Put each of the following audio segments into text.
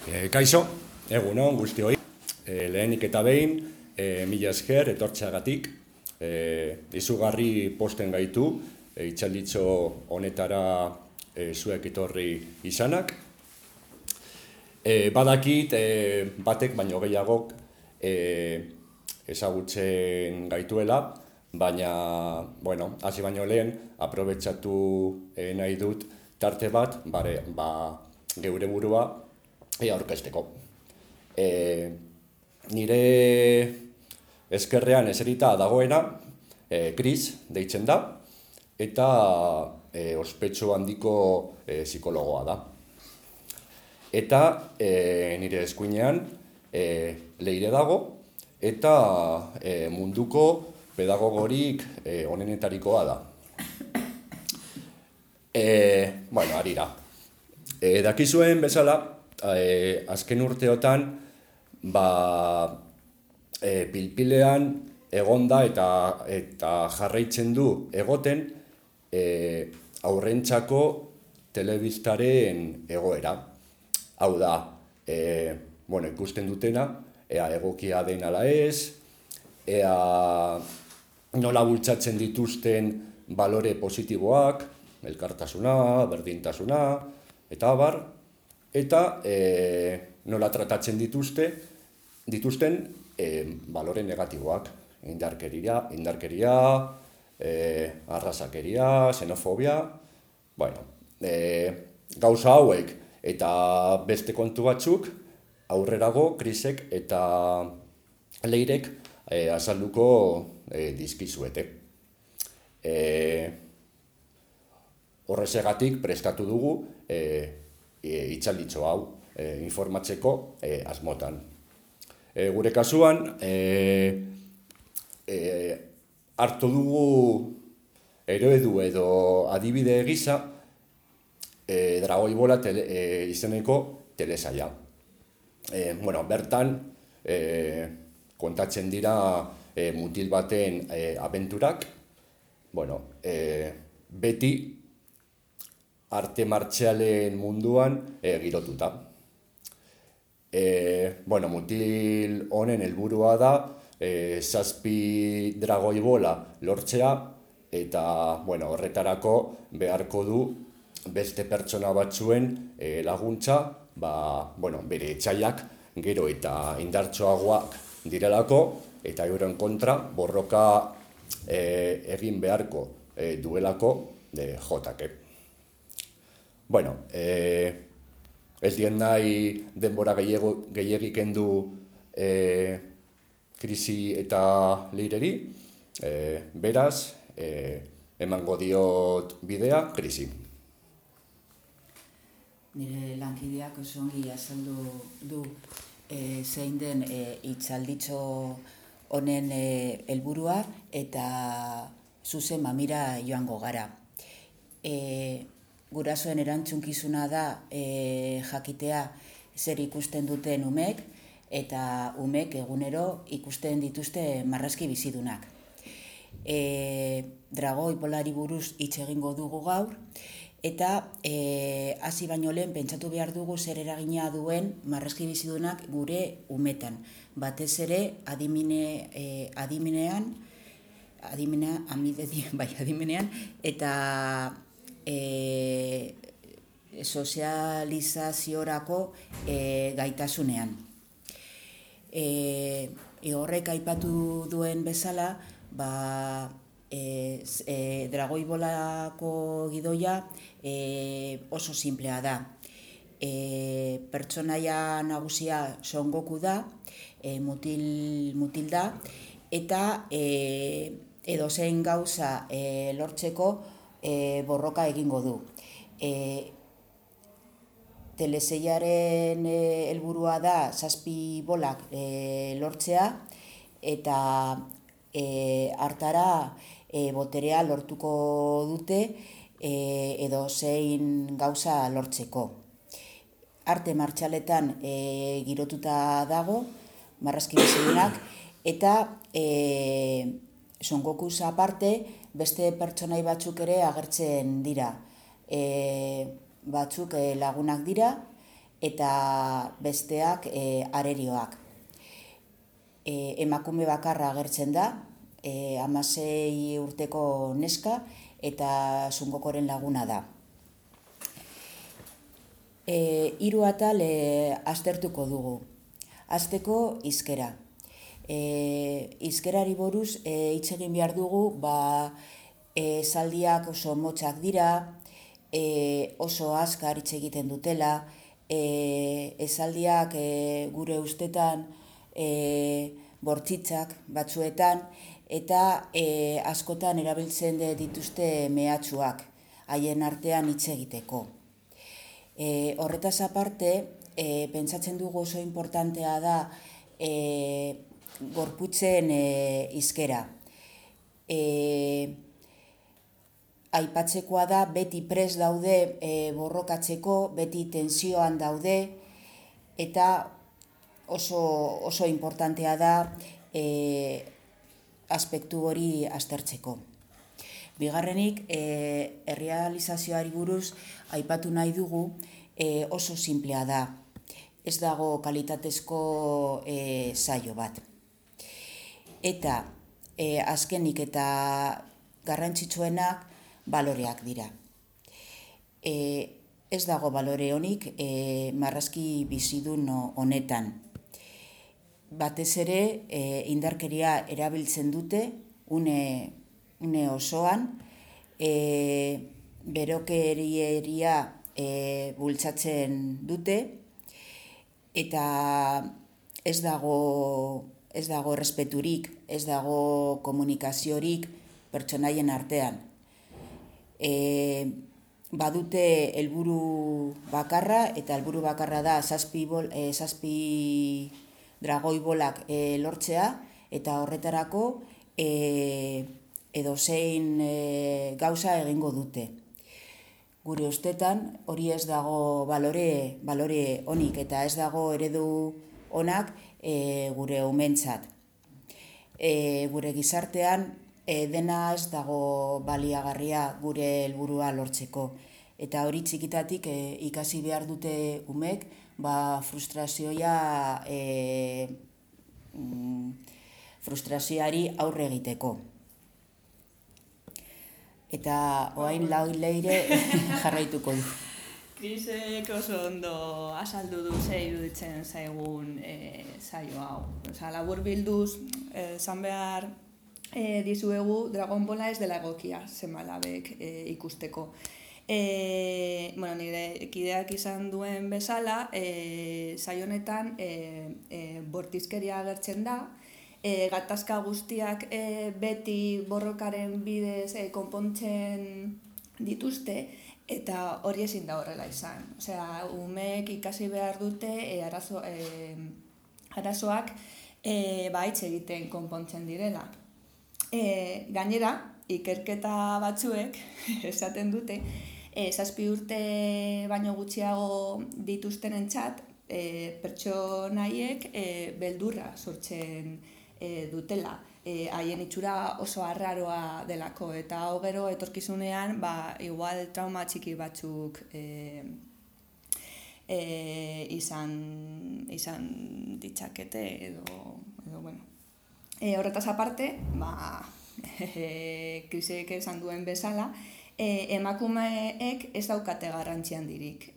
Kaixo, egunon guztioi. Lehenik eta behin, mila esker etortzeagatik. Izugarri posten gaitu, itxalditxo honetara zuek etorri izanak. Badakit, batek baino gehiagok ezagutzen gaituela, baina, hasi baino lehen, aprobetxatu nahi dut tarte bat, geure burua aurkezteko. Nire eskerrean eserita dagoena, Kris deitzen da, eta ospetsu handiko psikologoa da. Eta nire eskuinean Leire dago, eta munduko pedagogorik onenetarikoa da. Harira. Dakizuen bezala, azken urteotan, pilpilean egonda eta jarraitzen du egoten haurrentzako telebistaren egoera. Hau da, ikusten dutena, ea egokia den ala ez, ea nola bultzatzen dituzten balore positiboak, elkartasuna, berdintasuna, eta abar, eta nola tratatzen dituzten balore negatiboak, indarkeria, arrazakeria, xenofobia, gauza hauek eta beste kontu batzuk aurrerago Krisek eta Leirek azalduko dizkizuete. Horrezegatik prestatu dugu itxalditxo hau informatzeko asmotan. Gure kasuan, hartu dugu eredu edo adibide gisa Dragoi Bola izeneko telesaila. Bertan kontatzen dira mutil baten abenturak, beti arte martzialen munduan girotuta. Mutil honen helburua da 7 dragoi bola lortzea, eta horretarako beharko du beste pertsona batzuen laguntza, bere etsaiak gero eta indartsuagoak direlako, eta euren kontra borroka egin beharko duelako jotake. Ez dien nahi denbora gehiagik kendu Krisi eta Leireri, beraz, emango diot bidea Krisi. Nire lankideak oso ongi azaldu du zein den itzalditxo honen helburua, eta zuzen mamira joango gara. Gurasoen erantzunkizuna da jakitea zer ikusten duten umek, eta umek egunero ikusten dituzte marrazki bizidunak. Dragoi Bolari buruz hitz egingo dugu gaur, eta hasi baino lehen pentsatu behar dugu zer eragina duen marrazki bizidunak gure umetan. Batez ere adimenean, eta sozializaziorako gaitasunean. Horrek aipatu duen bezala, Dragoi Bolako gidoia oso simplea da. Pertsonaia nagusia Son Goku da, mutil da, eta edozein gauza lortzeko borroka egingo du. Telesailaren helburua da 7 bolak lortzea, eta hartara boterea lortuko dute edozein gauza lortzeko. Arte martxaletan girotuta dago, marrazki bizidunak, eta Son Gokuz aparte beste pertsonai batzuk ere agertzen dira. Batzuk lagunak dira, eta besteak arerioak. Emakume bakarra agertzen da, 16 urteko neska eta Sungokoren laguna da. 3 atal aztertuko dugu. Hasteko hizkera. Hizkerari buruz hitz egin behar dugu, esaldiak oso motzak dira, oso azkar hitz egiten dutela, esaldiak gure ustetan bortzitzak batzuetan, eta askotan erabiltzen dituzte mehatxuak haien artean hitz egiteko. Horretaz aparte, pentsatzen dugu oso importantea da gorputzen hizkera. Aipatzekoa da, beti prest daude borrokatzeko, beti tensioan daude, eta oso importantea da aspektu hori aztertzeko. Bigarrenik, errealizazioari buruz aipatu nahi dugu, oso sinplea da. Ez dago kalitatezko saio bat. Eta azkenik eta garrantzitsuenak baloreak dira. Ez dago balore honik marrazki bizidun honetan. Batez ere indarkeria erabiltzen dute une osoan, berokerieria bultzatzen dute, eta ez dago errespeturik, ez dago komunikaziorik pertsonaien artean. Badute helburu bakarra, eta helburu bakarra da 7 dragoi bolak lortzea, eta horretarako edozein gauza egingo dute. Gure ustetan hori ez dago balore onik, eta ez dago eredu onak gure umentzat. Gure gizartean dena ez dago baliagarria gure helburua lortzeko. Eta hori txikitatik ikasi behar dute umek, frustrazioari aurre egiteko. Eta orain leire jarraituko du. Krisek oso ondo azaldu du ze iruditzen zaigun saio hau. Laburbilduz, esan behar dizuegu Dragon Balla ez dela egokia seme-alabek ikusteko. Nire kideak izan duen bezala, saio honetan bortizkeria agertzen da, gatazka guztiak beti borrokaren bidez konpontzen dituzte, eta hori ezin da horrela izan. Umeek ikasi behar dute arazoak hitz egiten konpontzen direla. Gainera, ikerketa batzuek esaten dute, 7 urte baino gutxiago dituztenentzat pertsonaiek beldurra sortzen dutela. Haien itxura oso arraroa delako, eta gero etorkizunean igual trauma txiki batzuk izan ditzakete edo bueno. Horretaz aparte, Krisek esan duen bezala, emakumeek ez daukate garrantzi handirik.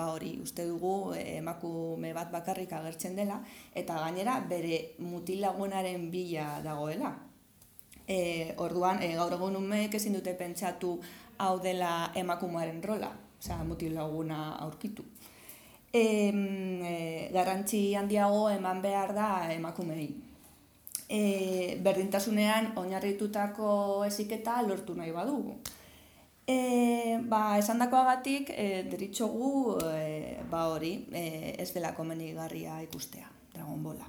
Hori, uste dugu emakume bat bakarrik agertzen dela, eta gainera bere mutil lagunaren bila dagoela. Orduan, gaur egun umeek ezin dute pentsatu hau dela emakumearen rola, mutil laguna aurkitu. Garrantzi handiago eman behar da emakumei. Berdintasunean oinarritutako heziketa lortu nahi badugu. Esandakoagatik deritzogu hori ez dela komenigarria ikustea Dragon Balla.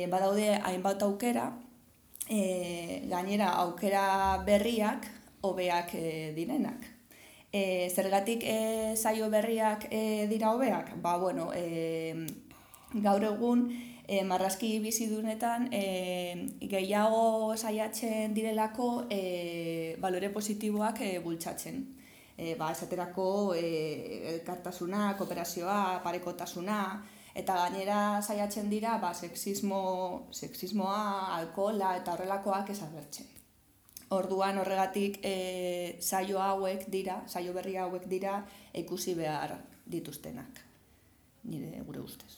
Badaude hainbat aukera, gainera aukera berriak hobeak direnak. Zergatik saio berriak dira hobeak? Gaur egun marrazki bizidunetan gehiago saiatzen direlako balore positiboak bultzatzen. esaterako elkartasuna, kooperazioa, parekotasuna, eta gainera saiatzen dira sexismoa, alkohola eta horrelakoak ez agertzen. Orduan horregatik saio berri hauek dira ikusi behar dituztenak, gure ustez.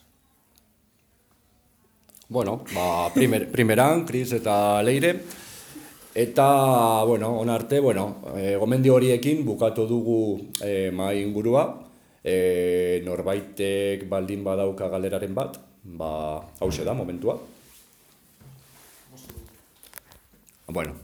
Bueno, primeran, Kris eta Leire, eta, onarte, gomendio horiekin bukatu dugu mahai ingurua, norbaitek baldin badauka galeraren bat, hauxe da momentua. Bueno,